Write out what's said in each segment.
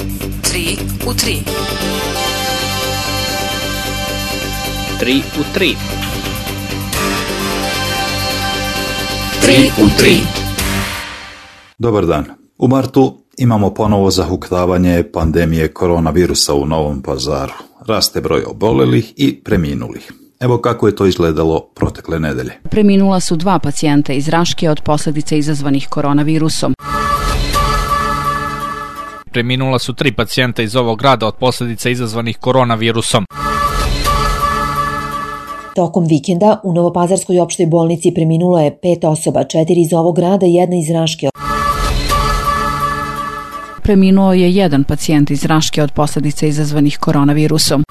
3 u 3. 3 u 3. 3 u 3. Dobar dan. U martu imamo ponovo zahuktavanje pandemije koronavirusa u Novom Pazaru. Raste broj obolelih i preminulih. Evo kako je to izgledalo protekle nedelje. Preminula su 2 pacijenta iz Raške od posljedica izazvanih koronavirusom. Preminula su 3 pacijenta iz ovog grada od posljedica izazvanih koronavirusom. Tokom vikenda u Novopazarskoj opštoj bolnici preminulo je 5 osoba, 4 iz ovog grada i 1 iz Raške. Preminuo je 1 pacijent iz Raške od posljedica izazvanih koronavirusom.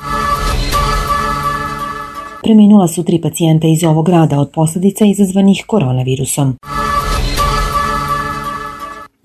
Preminula su 3 pacijenta iz ovog grada od posljedica izazvanih koronavirusom.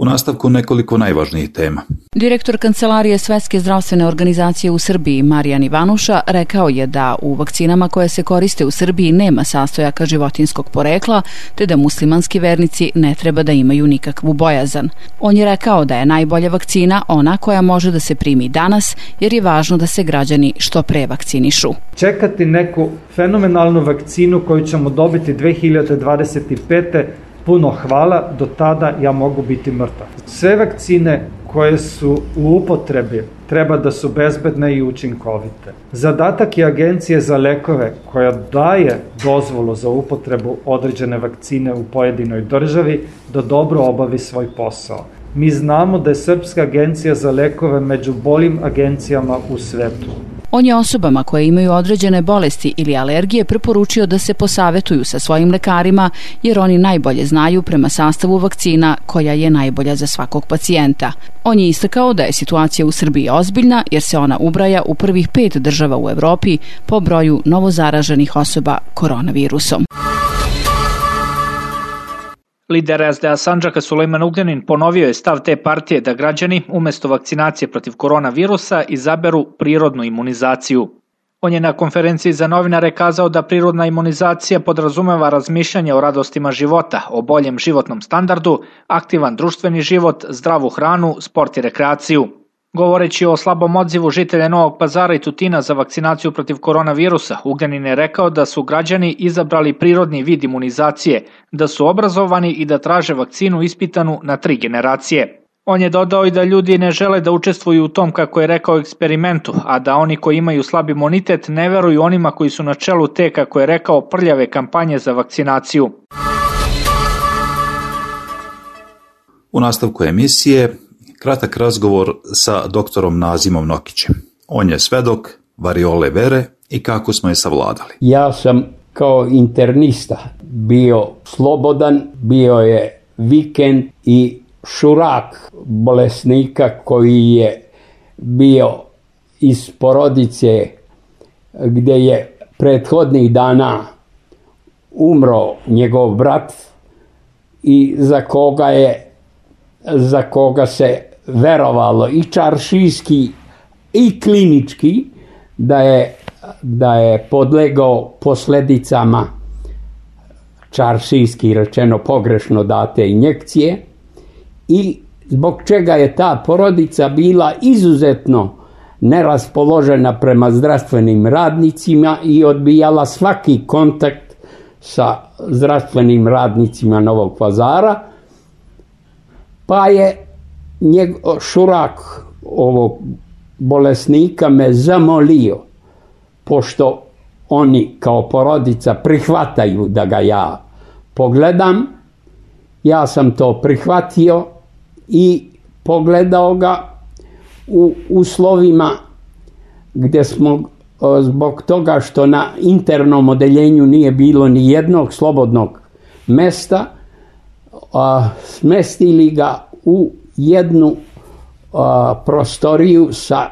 U nastavku nekoliko najvažnijih tema. Direktor Kancelarije Svetske zdravstvene organizacije u Srbiji, Marijan Ivanuša, rekao je da u vakcinama koje se koriste u Srbiji nema sastojaka životinjskog porekla, te da muslimanski vernici ne treba da imaju nikakvu bojazan. On je rekao da je najbolja vakcina ona koja može da se primi danas, jer je važno da se građani što pre vakcinišu. Čekati neku fenomenalnu vakcinu koju ćemo dobiti 2025. Puno hvala, do tada ja mogu biti mrtav. Sve vakcine koje su u upotrebi treba da su bezbedne i učinkovite. Zadatak je Agencije za lekove koja daje dozvolu za upotrebu određene vakcine u pojedinoj državi da dobro obavi svoj posao. Mi znamo da je Srpska agencija za lekove među boljim agencijama u svetu. On je osobama koje imaju određene bolesti ili alergije preporučio da se posavetuju sa svojim lekarima, jer oni najbolje znaju prema sastavu vakcina koja je najbolja za svakog pacijenta. On je istakao da je situacija u Srbiji ozbiljna, jer se ona ubraja u prvih 5 država u Evropi po broju novozaraženih osoba koronavirusom. Lider SDA Sandžaka Sulejman Ugljanin ponovio je stav te partije da građani umjesto vakcinacije protiv koronavirusa izaberu prirodnu imunizaciju. On je na konferenciji za novinare kazao da prirodna imunizacija podrazumeva razmišljanje o radostima života, o boljem životnom standardu, aktivan društveni život, zdravu hranu, sport i rekreaciju. Govoreći o slabom odzivu žitelja Novog Pazara i Tutina za vakcinaciju protiv koronavirusa, Ugljanin je rekao da su građani izabrali prirodni vid imunizacije, da su obrazovani i da traže vakcinu ispitanu na 3 generacije. On je dodao i da ljudi ne žele da učestvuju u tom, kako je rekao, eksperimentu, a da oni koji imaju slab imunitet ne veruju onima koji su na čelu te, kako je rekao, prljave kampanje za vakcinaciju. U nastavku emisije kratak razgovor sa doktorom Nazimom Nokićem. On je svedok variole vere i kako smo je savladali. Ja sam kao internista bio slobodan, bio je vikend i šurak bolesnika koji je bio iz porodice gdje je prethodnih dana umro njegov brat i za koga se verovalo i čaršijski i klinički da je podlegao posljedicama čaršijski rečeno pogrešno date injekcije i zbog čega je ta porodica bila izuzetno neraspoložena prema zdravstvenim radnicima i odbijala svaki kontakt sa zdravstvenim radnicima Novog Pazara, pa je šurak ovog bolesnika me zamolio, pošto oni kao porodica prihvataju da ga ja pogledam, ja sam to prihvatio i pogledao ga u uslovima gdje smo zbog toga što na internom odeljenju nije bilo ni jednog slobodnog mesta, smestili ga u jednu prostoriju sa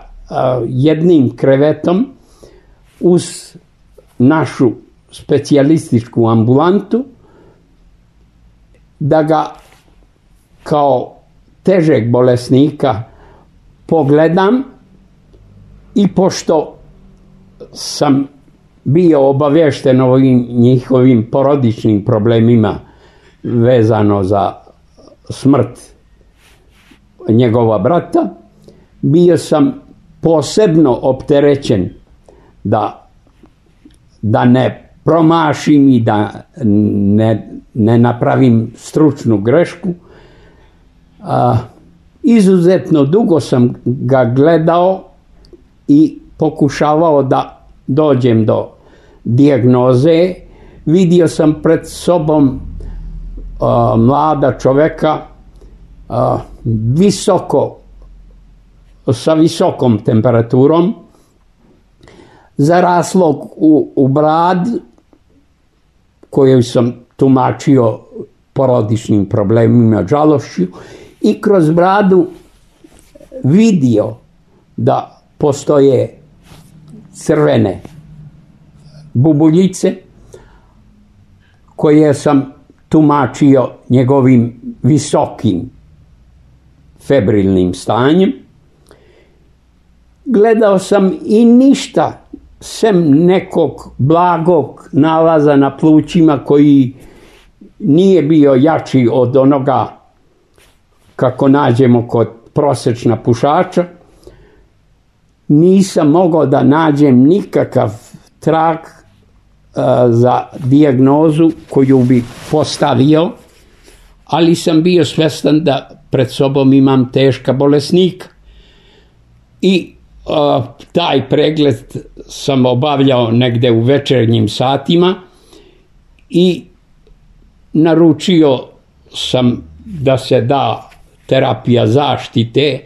jednim krevetom uz našu specijalističku ambulantu, da ga kao težeg bolesnika pogledam i pošto sam bio obavješten o njihovim porodičnim problemima vezano za smrt njegova brata, bio sam posebno opterećen da ne promašim i da ne napravim stručnu grešku. Izuzetno dugo sam ga gledao i pokušavao da dođem do dijagnoze. Vidio sam pred sobom mlada čoveka sa visokom temperaturom, zaraslog u brad, koju sam tumačio porodičnim problemima, žalošću, i kroz bradu vidio da postoje crvene bubuljice koje sam tumačio njegovim visokim febrilnim stanjem. Gledao sam i ništa, sem nekog blagog nalaza na plućima koji nije bio jači od onoga kako nađemo kod prosječna pušača. Nisam mogao da nađem nikakav trag za dijagnozu koju bi postavio, ali sam bio svestan da pred sobom imam teška bolesnika. I taj pregled sam obavljao negde u večernjim satima i naručio sam da se da terapija zaštite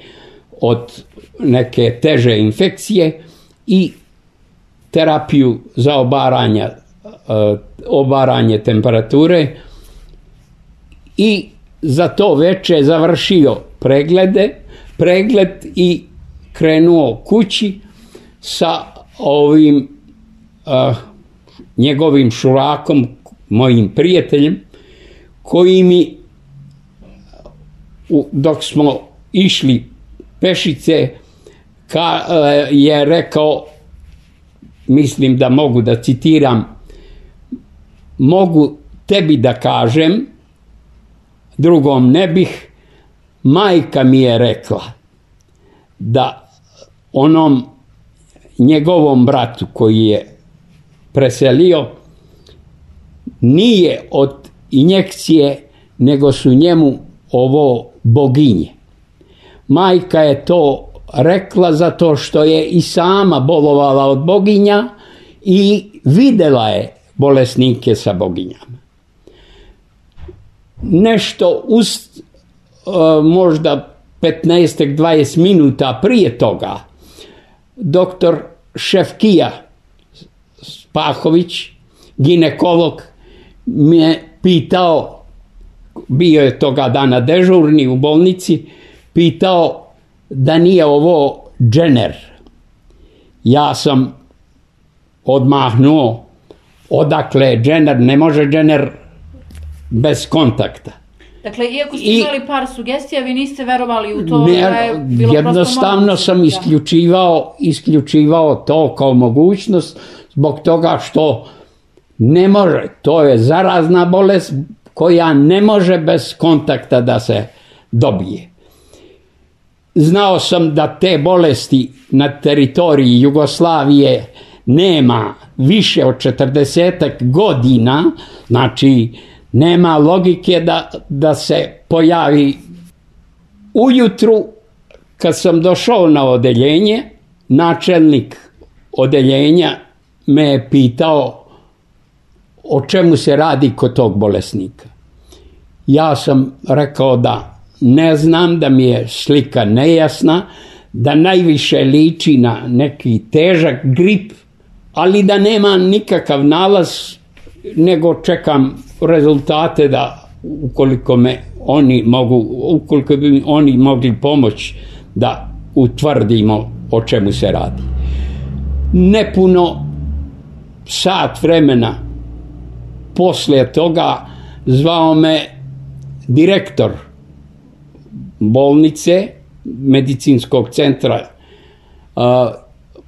od neke teže infekcije i terapiju za obaranje temperature, i za to veče završio pregled i krenuo kući sa ovim njegovim šurakom, mojim prijateljem, koji mi, dok smo išli pešice, je rekao, mislim da mogu da citiram: mogu tebi da kažem, drugom ne bih, majka mi je rekla da onom njegovom bratu koji je preselio nije od injekcije, nego su njemu ovo boginje. Majka je to rekla zato što je i sama bolovala od boginja i videla je bolesnike sa boginjama. Nešto možda 15-20 minuta prije toga, doktor Šefkija Spahović, ginekolog, me pitao, bio je toga dana dežurni u bolnici, pitao da nije ovo džener. Ja sam odmahnuo, odakle je džener, ne može džener bez kontakta. Dakle, iako ste imali par sugestija, vi niste verovali u to? Jednostavno sam isključivao to kao mogućnost, zbog toga što ne može, to je zarazna bolest koja ne može bez kontakta da se dobije. Znao sam da te bolesti na teritoriji Jugoslavije nema više od 40 godina, znači nema logike da se pojavi. Ujutru, kad sam došao na odeljenje, načelnik odeljenja me je pitao o čemu se radi kod tog bolesnika. Ja sam rekao da ne znam, da mi je slika nejasna, da najviše liči na neki težak grip, ali da nema nikakav nalaz, nego čekam rezultate da ukoliko bi oni mogli pomoći da utvrdimo o čemu se radi. Nepuno sat vremena poslije toga zvao me direktor bolnice, medicinskog centra,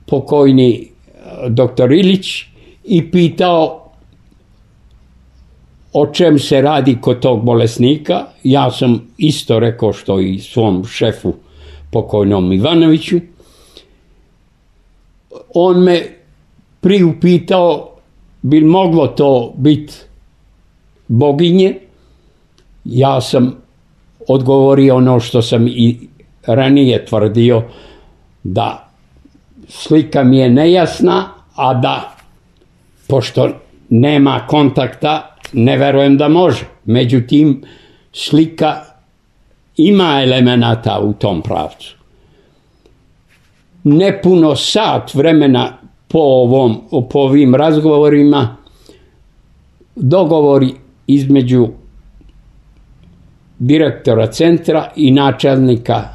pokojni doktor Ilić, i pitao o čem se radi kod tog bolesnika. Ja sam isto rekao što i svom šefu pokojnom Ivanoviću. On me priupitao bi moglo to biti boginje. Ja sam odgovorio ono što sam i ranije tvrdio, da slika mi je nejasna, a da pošto nema kontakta ne verujem da može. Međutim, slika ima elemenata u tom pravcu. Nepuno sat vremena po ovim razgovorima dogovori između direktora centra i načelnika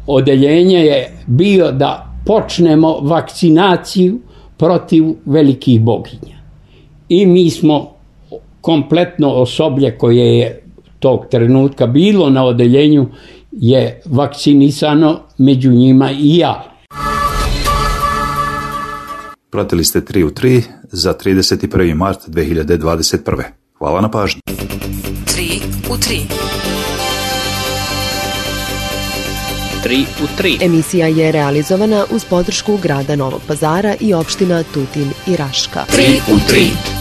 odeljenja je bio da počnemo vakcinaciju protiv velikih boginja. I mi smo kompletno osoblje koje je tog trenutka bilo na odeljenju je vakcinisano, među njima i ja. Pratili ste 3 u 3 za 31. mart 2021. Hvala na pažnji. 3 u 3. 3 u 3. Emisija je realizovana uz podršku grada Novog Pazara i opština Tutin i Raška. 3 u 3.